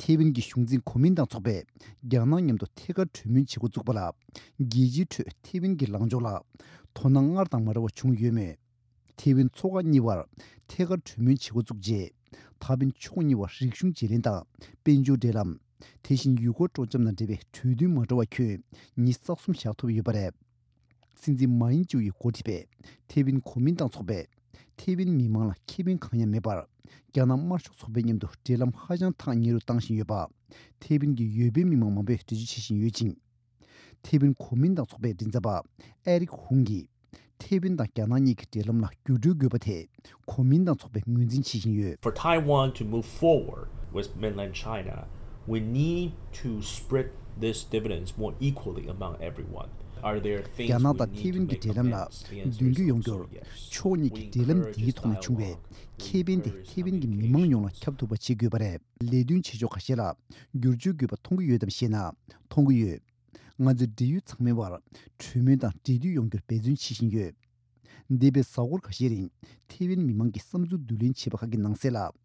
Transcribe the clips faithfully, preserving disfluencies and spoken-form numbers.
ཐེ་ཝན་གྱི་གཞུང་འཛིན་གོ་མིན་ཏང་ཚོགས་པས་རྒྱ་ནག་མཉམ་དུ་ཐད་ཀར་གྲོས་མོལ་བྱེད་འགོ་བཙུགས་པ་ལ། རྒྱལ་སྤྱིའི་ཁྲོད་ཐེ་ཝན་གྱི་ལངས་ཕྱོགས་ལ་དོ་སྣང་སྔར་དང་མ་འདྲ་བ་བྱུང་ཡོད་མོད། ཐེ་ཝན་མཚོ་འགག་གཉིས་བར་ཐད་ཀར་གྲོས་མོལ་བྱེད་འགོ་བཙུགས་རྗེས། ད་ཕན་ཕྱོགས་གཉིས་བར་རིག་གཞུང་བརྗེ་ལེན་དང་དཔལ་འབྱོར་འབྲེལ་ལམ། དེ་བཞིན་ཡུལ་སྐོར་སྤྲོ་འཆམ་དང་འབྲེལ་བའི་གྲོས་མཐུན་མ་འདྲ་བ་ཁྱོན་ཉིས་རྩ་གསུམ་བཞག་ཐུབ་ཡོད་པ་རེད། སྲིད་འཛིན་མཱ་ཡིན་ཅུའུ་ཡིས་འགོ་ཁྲིད་པའི་ཐེ་ཝན་གོ་མིན་ཏང་ཚོགས་པས་ཐེ་ཝན་མི་མང་ལ་ཁེ་ཕན་གང་ཡང་མེད་པར། རྒྱ་ནག་དམར་ཤོག་ཚོགས་པའི་མཉམ་དུ་འབྲེལ་ལམ་ཧ་ཅང་ཐག་ཉེ་རུ་བཏང་བཞིན་ཡོད་པ། ཐེ་ཝན་གྱི་ཡོ་པན་མི་མང་མང་པོས་འགྲེལ་བརྗོད་བྱེད་བཞིན་ཡོད་ཅིང་། ཐེ་ཝན་གོ་མིན་ཏང་ཚོགས་པའི་མགྲིན་ཚབ་པ་ཨེ་རིག་ཧུང་གིས། ཐེ་ཝན་དང་རྒྱ་ནག་གཉིས་ཀྱི་འབྲེལ་ལམ་ལ་འགྱུར་འགྲོས་དགོས་པ་དེ་གོ་མིན་ཏང་ཚོགས་པས་ངོས་འཛིན་བྱེད་བཞིན་ཡོད། For Taiwan to move forward with mainland China, we need to spread these dividends more equally among everyone. Are there things རྒྱ་ནག་དང་ཐེ་ཝན་གྱི་འབྲེལ་ལམ་ལ་མདུན་སྐྱོད་ཡོང་རྒྱུར། ཕྱོགས་གཉིས་ཀྱི་འབྲེལ་ལམ་འདིའི་ཐོག་ནས་བྱུང་བའི་ཁེ་ཕན་དེ་ཐེ་ཝན་གྱི་མི་མང་ཡོངས་ལ་ཁྱབ་ཐུབ་པ་བྱེད་དགོས་པ་རེད། ལས་དོན་བྱེད་ཕྱོགས་ཁ་ཤས་ལ་བསྒྱུར་བཅོས་དགོས་པ་མཐོང་གི་ཡོད་དམ་ཞེ་ན། མཐོང་གི་ཡོད། ང་ཚོས་འབྲེལ་ཡོད་ཚང་མའི་བར་གྲོས་མོལ་དང་འབྲེལ་མཐུད་ཡོང་རྒྱུར་འབད་བརྩོན་བྱེད་བཞིན་ཡོད། འདས་པའི་གཟའ་འཁོར་ཁ་ཤས་རིང་ཐེ་ཝན་མི་མང་གི་བསམ་ཚུལ་བསྡུ་ལེན་བྱས་པ་ཁག་གི་ནང་གསལ་ལ།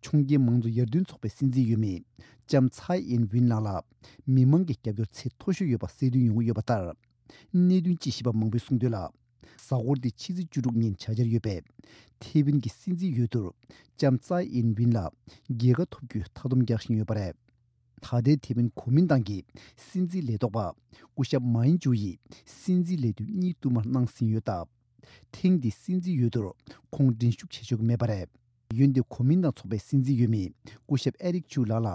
ཕྱོགས་འགལ་མང་གཙོ་ཡར་ཐོན་ཚོགས་པའི་སྲིད་འཛིན་འོས་མི་ལྕམ་ཚའེ་ཨིན་ཝིན་ལགས་ལ་མི་མང་གི་རྒྱབ་སྐྱོར་ཚད་མཐོ་ཤོས་ཡོད་པ་གསལ་སྟོན་ཡོང་གི་ཡོད་པ་ལྟར། གནད་དོན་དཔྱད་ཞིབ་པ་མང་པོས་གསུངས་དོན་ལ། གཟའ་འཁོར་འདིའི་ཕྱི་ཚེས་བཅུ་དྲུག་ཉིན་བྱ་འཆར་ཡོད་པའི་ཐེ་ཝན་གྱི་སྲིད་འཛིན་འོས་བསྡུར་ལྕམ་ཚའེ་ཨིན་ཝིན་ལགས་རྒྱལ་ཁ་ཐོབ་རྒྱུའི་མཐའ་སྡོམ་རྒྱག་བཞིན་ཡོད་པ་རེད། ད་ལྟའི་ཐེ་ཝན་གོ་མིན་ཏང་གི་སྲིད་འཛིན་ལས་ཐོག་པ་སྐུ་ཞབས་མཱ་ཡིན་ཅུའུ་ཡིས་སྲིད་འཛིན་ལས་དུས་གཉིས་བསྟུད་མར་གནང་ཟིན་ཡོད་སྟབས། ཐེངས་འདིའི་སྲིད་འཛིན་འོས་བསྡུར་ཁོང་འགྲན་ཞུགས་བྱེད་ཆོག་གི་མེད་པ་རེད། འོན་ཏེ་གོ་མིན་ཏང་ཚོགས་པའི་སྲིད་འཛིན་འོས་མི་སྐུ་ཞབས་ཨེ་རིག་ཅུའུ་ལགས་ལ་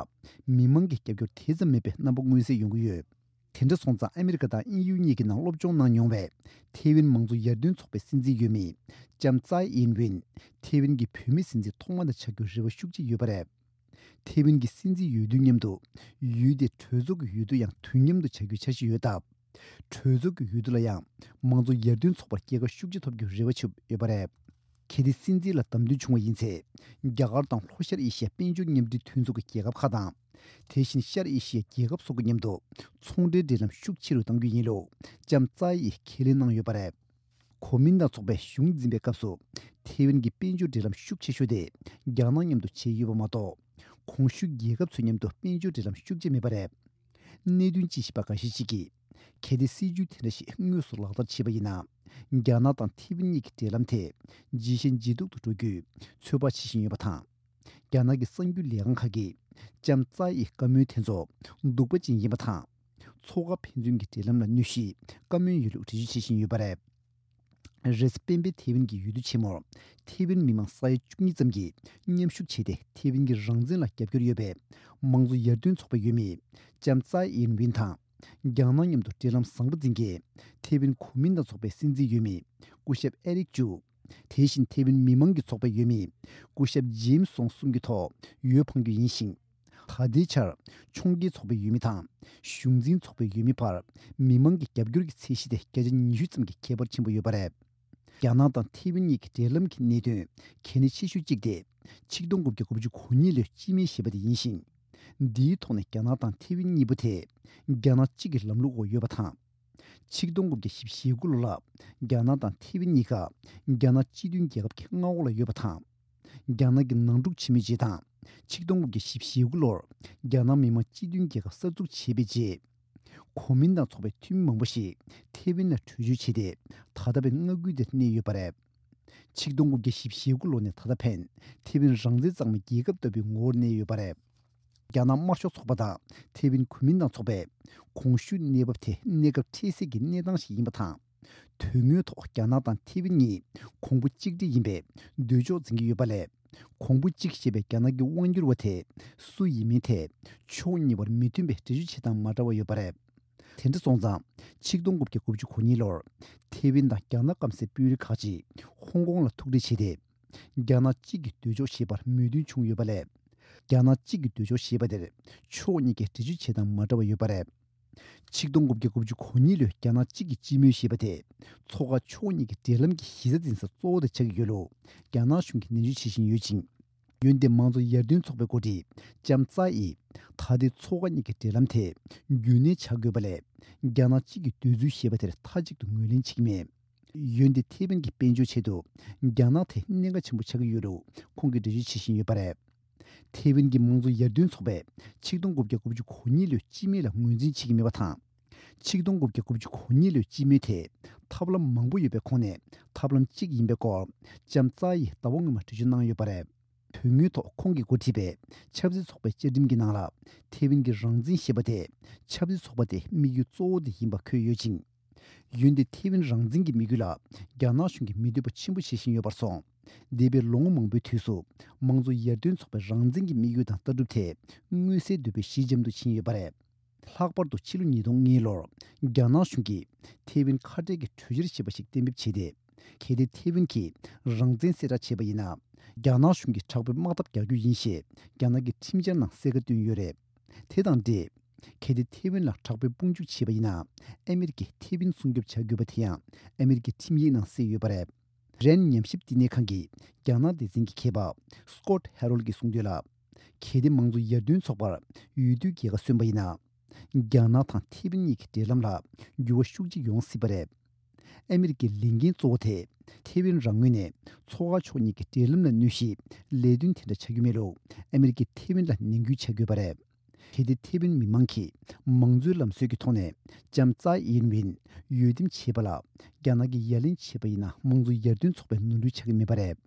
མི་མང་གི་རྒྱབ་སྐྱོར་དེ་ཙམ་མེད་པའི་རྣམ་པ་མངོན་གསལ་ཡོང་གི་ཡོད། དེ་འདྲ་སོང་ཙང་ཨ་མི་རི་ཀ་དང་དབྱིན་ཡུལ་གཉིས་ཀྱི་ནང་སློབ་སྦྱོང་གནང་མྱོང་བའི་ཐེ་ཝན་མང་གཙོ་ཡར་ཐོན་ཚོགས་པའི་སྲིད་འཛིན་འོས་མི་ལྕམ་ཙའེ་ཨིན་ཝིན་ཐེ་ཝན་གྱི་བུད་མེད་སྲིད་འཛིན་ཐོག་མ་དེ་ཆགས་རྒྱུའི་རེ་བ་ཤུགས་ཆེ་ཡོད་པ་རེད། ཐེ་ཝན་གྱི་སྲིད་འཛིན་འོས་བསྡུ་མཉམ་དུ་ཡུལ་དེའི་གྲོས་ཚོགས་ཀྱི་འོས་བསྡུ་ཡང་དུས་མཉམ་དུ་བྱ་རྒྱུའི་འཆར་གཞི་ཡོད་སྟབས། གྲོས་ཚོགས་ཀྱི་འོས་བསྡུ་ལ་ཡང་མང་གཙོ་ཡར་ཐོན་ཚོགས་པར་རྒྱལ་ཁ་ཤུགས་ཆེ་ཐོབ་རྒྱུའི་རེ་བ་བྱེད་ཡོད་པ་རེད། གལ་ཏེ་སྲིད་འཛིན་ལ་བདམས་ཐོན་བྱུང་བ་ཡིན་ཚེ། རྒྱ་གར་དང་ལྷོ་ཤར་ཨེ་ཤི་ཡ་དཔལ་འབྱོར་མཉམ་འབྲེལ་མཐུན་ཚོགས་ཀྱི་རྒྱལ་ཁབ་ཁག་དང་། དེ་བཞིན་ཤར་ཨེ་ཤི་ཡའི་རྒྱལ་ཁབ་སོགས་ཀྱི་མཉམ་དུ་ཚོང་འབྲེལ་འབྲེལ་ལམ་ཤུགས་ཆེ་རུ་གཏང་རྒྱུ་ཡིན་ལུགས་ལྕམ་ཙའེ་ཡིས་ཁས་ལེན་གནང་ཡོད་པ་རེད། གོ་མིན་ཏང་ཚོགས་པའི་གཞུང་འཛིན་པའི་སྐབས་སུ་ཐེ་ཝན་གྱི་དཔལ་འབྱོར་འབྲེལ་ལམ་ཤུགས་ཆེ་ཤོས་དེ་རྒྱ་ནག་མཉམ་དུ་བྱས་ཡོད་པ་མ་གཏོགས། གོང་ཞུས་རྒྱལ་ཁབ་ཚོའི་མཉམ་དུ་དཔལ་འབྱོར་འབྲེལ་ལམ་ཤུགས་ཆེ་མེད་པ་རེད། གནད་དོན་དཔྱད་ཞིབ་པ་འགའ་ཤས་ཤིག་གིས། གལ་ཏེ་སྲིད་ཇུས་དེ་འདྲ་ཞིག་དངོས་སུ་ལག་བསྟར་བྱས་པ་ཡིན་ན། རྒྱ་ནག་དང་ཐེ་ཝན་གཉིས་ཀྱི་འབྲེལ་ལམ་དེ་ཇེ་ཞན་ཇེ་སྡུག་ཏུ་འགྲོ་རྒྱུའི་ཚོད་དཔག་བྱེད་བཞིན་ཡོད་པ་དང་། རྒྱ་ནག་གི་གསར་འགྱུར་ལས་ཁང་ཁག་གིས་ལྕམ་ཙའེ་ཡི་བཀའ་མོལ་དེ་ཚོ་གདུག་པ་ཅན་ཡིན་པ་དང་། མཚོ་ཁ་ཕན་ཚུན་གྱི་འབྲེལ་ལམ་ལ་གནོད་གཞིའི་བཀའ་མོལ་ཡོད་ལུགས་འགྲེལ་བརྗོད་བྱེད་བཞིན་ཡོད་པ་རེད། རེས་གཟའ་སྤེན་པའི་ཐེ་ཝན་གྱི་འོས་བསྡུ་ཆེན་མོར་ཐེ་ཝན་མི་མང་ས་ཡ་བཅུ་གཉིས་ཙམ་གྱིས་མཉམ་ཞུགས་བྱས་ཏེ། ཐེ་ཝན་གྱི་རང་བཙན་ལ་རྒྱབ་སྐྱོར་ཡོད་པའི་མང་གཙོ་ཡར་ཐོན་ཚོགས་པའི་འོས་མི་ལྕམ་ཙའེ་ཨིན་ཝིན་དང་། རྒྱ་ནག་མཉམ་དུ་འབྲེལ་ལམ་བཟང་པོ་འཛིན་མཁན་ཐེ་ཝན་གོ་མིན་ཏང་ཚོགས་པའི་སྲིད་འཛིན་འོས་མི་སྐུ་ཞབས་ཨེ་རིག་ཅུ། དེ་བཞིན་ཐེ་ཝན་མི་མང་གི་ཚོགས་པའི་འོས་མི་སྐུ་ཞབས་ཇེམ་སི་སོང་གསུམ་གྱི་ཐོག་འོས་འཕང་རྒྱུ་ཡིན་ཞིང་། ད་ལྟའི་ཆར་ཕྱོགས་འགལ་ཚོགས་པའི་འོས་མི་དང་གཞུང་འཛིན་ཚོགས་པའི་འོས་མི་བར་མི་མང་གི་རྒྱབ་སྐྱོར་གྱི་ཚད་གཞི་དེ་བརྒྱ་ཆ་ཉི་ཤུ་ཙམ་གྱི་ཁྱད་པར་ཆེན་པོ་ཡོད་པ་རེད། རྒྱ་ནག་དང་ཐེ་ཝན་གཉིས་ཀྱི་འབྲེལ་ལམ་གྱི་གནད་དོན་གལ་གནད་ཆེ་ཤོས་གཅིག་དེ་ཆིག་སྟོང་དགུ་བརྒྱ་དགུ་བཅུ་གོ་གཉིས་ལོའི་སྤྱི་མོས་ཞེས་པ་དེ་ཡིན་ཞིང་། འདིའི་ཐོག་ནས་རྒྱ་ནག་དང་ཐེ་ཝན་གཉིས་པོ་དེ་རྒྱ་ནག་གཅིག་གི་ལམ་ལུགས་འོག་ཡོད་པ་དང་། ཆིག་སྟོང་དགུ་བརྒྱ་བཞི་བཅུ་ཞེ་དགུ་ལོ་ལ་རྒྱ་ནག་དང་ཐེ་ཝན་གཉིས་ཀ་རྒྱ་ནག་སྤྱི་མཐུན་རྒྱལ་ཁབ་ཀྱི་མངའ་འོག་ལ་ཡོད་པ་དང་། རྒྱ་ནག་གི་ནང་འཁྲུག་ཆེན་མོའི་རྗེས་དང་། ཆིག་སྟོང་དགུ་བརྒྱ་བཞི་བཅུ་ཞེ་དགུ་ལོར་རྒྱ་ནག་མི་དམངས་སྤྱི་མཐུན་རྒྱལ་ཁབ་གསར་འཛུགས་བྱས་པའི་རྗེས། གོ་མིན་ཏང་ཚོགས་པའི་འཐུས་མི་མང་པོ་ཞིག་ཐེ་ཝན་ལ་བྲོས་བྱོལ་བྱས་ཏེ། ད་ལྟ་བའི་མངའ་ཁུལ་དེར་གནས་ཡོད་པ་རེད། ཆིག་སྟོང་དགུ་བརྒྱ་བཞི་བཅུ་ཞེ་དགུ་ལོ་ནས་ད་ལྟ་ཕན་ཐེ་ཝན་རང་བཙན་གཙང་མའི་རྒྱལ་ཁབ་ལྟ་བུའི་ངོ་བོར་གནས་ཡོད་པ་རེད། རྒྱ་ནག་དམར་ཤོག་ཚོགས་པ་དང་ཐེ་ཝན་གོ་མིན་ཏང་ཚོགས་པས་གོང་ཞུས་གནས་བབ་དེ་གནས་སྐབས་འཕྲལ་སེལ་གྱི་གནས་སྟངས་ཤིག་ཡིན་པ་དང་། དོན་དངོས་ཐོག་རྒྱ་ནག་དང་ཐེ་ཝན་གཉིས་གོང་བུ་གཅིག་སྒྲིལ་ཡིན་པའི་འདོད་ཕྱོགས་འཛིན་གྱི་ཡོད་པ་ལས། གོང་བུ་གཅིག་ཞེས་པའི་རྒྱ་ནག་གི་དབང་སྒྱུར་བ་དེ་སུ་ཡིན་མིན་ཐད་ཕྱོགས་གཉིས་བར་མི་མཐུན་པའི་འགྲེལ་བརྗོད་བྱེད་སྟངས་མ་འདྲ་བ་ཡོད་པ་རེད། དེ་འདྲ་སོང་ཙང་། ཆིག་སྟོང་དགུ་བརྒྱ་དགུ་བཅུ་གོ་གཉིས་ལོར་ཐེ་ཝན་དང་རྒྱ་ནག་སྐམ་སའི་དཔོན་རིགས་ཁག་ཅིག་ཧོང་ཀོང་ལ་ཐུག་འཕྲད་བྱས་ཏེ། རྒྱ་ནག་གཅིག་གི་འདོད་ཕྱོགས་ཞེས་པར་མོས་མཐུན་བྱུང་ཡོད་པ་ལས། རྒྱ་ནག་གཅིག་གི་འདོད་ཕྱོགས་ཞེས་པ་དེར་ཕྱོགས་གཉིས་ཀས་འགྲེལ་བརྗོད་བྱེད་སྟངས་མ་འདྲ་བ་ཡོད་པ་རེད། ཆིག་སྟོང་དགུ་བརྒྱ་དགུ་བཅུ་གོ་གཉིས་ལོའི་རྒྱ་ནག་གཅིག་གི་སྤྱི་མོས་ཞེས་པ་དེ་མཚོ་ཁ་ཕྱོགས་གཉིས་ཀྱི་འབྲེལ་ལམ་གྱི་གཞི་རྩ་འཛིན་ས་གཙོ་བོ་དེ་ཆགས་ཀྱི་ཡོད་ལུགས་རྒྱ་ནག་གཞུང་གིས་ནན་བརྗོད་བྱེད་བཞིན་ཡོད་ཅིང་། འོན་ཏེ་མང་གཙོ་ཡར་ཐོན་ཚོགས་པའི་འགོ་ཁྲིད་ལྕམ་ཙའེ་ཡིས་ད་ལྟའི་མཚོ་ཁ་གཉིས་ཀྱི་འབྲེལ་ལམ་དེ་རྒྱུན་གནས་བྱ་དགོས་པ་ལས། རྒྱ་ནག་གཅིག་གི་འདོད་ཚུལ་ཞེས་པ་དེར་མཐའ་གཅིག་ཏུ་ངོས་ལེན་བྱེད་ཀྱི་མེད། འོན་ཏེ་ཐེ་ཝན་གྱི་དཔལ་འབྱོར་ཆེད་དུ་རྒྱ་ནག་དེ་གནད་འགག་ཆེན་པོ་ཆགས་ཀྱི་ཡོད་ལུགས་ཁོང་གིས་འགྲེལ་བརྗོད་བྱེད་བཞིན་ཡོད་པ་རེད། ཐེ་ཝན་གྱི་དམངས་གཙོ་ཡར་ཐོན་ཚོགས་པས་ཆིག་སྟོང་དགུ་བརྒྱ་དགུ་བཅུ་གོ་གཉིས་ལོའི་སྤྱི་མོས་ལ་ངོས་འཛིན་བྱེད་ཀྱི་མེད་པ་དང་། ཆིག་སྟོང་དགུ་བརྒྱ་དགུ་བཅུ་གོ་གཉིས་ལོའི་སྤྱི་མོས་དེ་ཐབས་ལམ་མང་པོ་ཡོད་པའི་ཁོངས་ནས་ཐབས་ལམ་གཅིག་ཡིན་པའི་སྐོར་ལྕམ་ཙའེ་ཡིས་ཟླ་བ་སྔོན་མ་འགྲེལ་བརྗོད་གནང་ཡོད་པ་རེད། དོན་དངོས་ཐོག་ཁོང་གིས་འགོ་ཁྲིད་པའི་ཆབ་སྲིད་ཚོགས་པའི་བཅའ་ཁྲིམས་ཀྱི་ནང་ལ་ཐེ་ཝན་གྱི་རང་བཙན་ཞེས་པ་དེ་ཆབ་སྲིད་ཚོགས་པ་དེའི་དམིགས་ཡུལ་གཙོ་བོ་དེ་ཡིན་པ་འཁོད་ཡོད་ཅིང་། འོན་ཏེ་ཐེ་ཝན་རང་བཙན་གྱི་དམིགས་ཡུལ་ལ་རྒྱ་ནག་གཞུང་གིས་མི་འདོད་པ་ཆེན་པོ་བྱེད་བཞིན་ཡོད་པར་སོང་། འདས་པའི་ལོ་ངོ་མང་པོའི་དུས་སུ་དམངས་གཙོ་ཡར་ཐོན་ཚོགས་པའི་རང་བཙན་གྱི་དམིགས་ཡུལ་དང་ལྟ་གྲུབ་དེ་མངོན་གསལ་དོད་པོས་ཞི་འཇམ་དུ་ཕྱིན་ཡོད་པ་རེད། ལྷག་པར་དུ་ཕྱི་ལོ་ཉིས་སྟོང་གཉིས་ལོར་རྒྱ་ནག་གཞུང་གིས་ཐེ་ཝན་ཁ་བྲལ་གྱི་གྲོས་འཆར་ཞེས་པ་ཞིག་གཏན་འབེབས་བྱས་ཏེ། གལ་ཏེ་ཐེ་ཝན་གྱིས་རང་བཙན་གསལ་བསྒྲགས་བྱས་པ་ཡིན་ན། རྒྱ་ནག་གཞུང་གིས་དྲག་པོའི་དམག་འཐབ་རྒྱག་རྒྱུ་ཡིན་ཞེས་རྒྱ་ནག་གི་ཁྲིམས་འཆར་ནང་གསལ་ཁ་བཏོན་ཡོད་རེད། དེ་དང་འབྲེལ། གལ་ཏེ་ཐེ་ཝན་ལ་དྲག་པོའི་དཔུང་འཇུག་བྱས་པ་ཡིན་ན། ཨ་མི་རི་ཀས་ཐེ་ཝན་སྲུང་སྐྱོབ་བྱ་དགོས་པ་དེ་ཡང་ཨ་མི་རི་ཀའི་ཁྲིམས་ཡིག་ནང་གསལ་ཡོད་པ་རེད། རན་ཉམས་ཞིབ་བསྟི་གནས་ཁང་གི་རྒྱ་ནག་སྡེ་ཚན་གྱི་མཁས་པ་སྐོད་ཧེ་རོལ་གྱིས་གསུངས་དོན་ལ། གལ་ཏེ་དམངས་གཙོ་ཡར་ཐོན་ཚོགས་པར་འོས་བསྡུའི་རྒྱལ་ཁ་སོན་པ་ཡིན་ན། རྒྱ་ནག་དང་ཐེ་ཝན་གཉིས་ཀྱི་འབྲེལ་ལམ་ལ་འགྱུར་བ་ཤུགས་ཆེ་ཡོང་སྲིད་པ་རེད། ཨ་མི་རི་ཀའི་ལས་འགན་གཙོ་བོ་དེ་ཐེ་ཝན་རང་ངོས་ནས་མཚོ་ཁ་ཕྱོགས་གཉིས་ཀྱི་འབྲེལ་ལམ་ལ་གནོད་གཞིའི་ལས་དོན་དེ་འདྲ་བྱ་རྒྱུ་མེད་ལུགས་ཨ་མི་རི་ཀས་ཐེ་ཝན་ལ་ནན་སྐུལ་བྱ་དགོས་པ་རེད། གལ་ཏེ་ཐེ་ཝན་མི་མང་གིས་མང་གཙོའི་ལམ་སྲོལ་གྱི་ཐོག་ནས་ལྕམ་ཙའེ་ཡིན་ཝིན་འོས་འདེམས་བྱས་པ་ལ་རྒྱ་ནག་གིས་ཡ་ལན་བྱས་པ་ཡིན་ན། དམངས་གཙོ་ཡར་ཐོན་ཚོགས་པའི་ནོར་འཁྲུལ་ཆགས་ཀྱི་མེད་པ་རེད།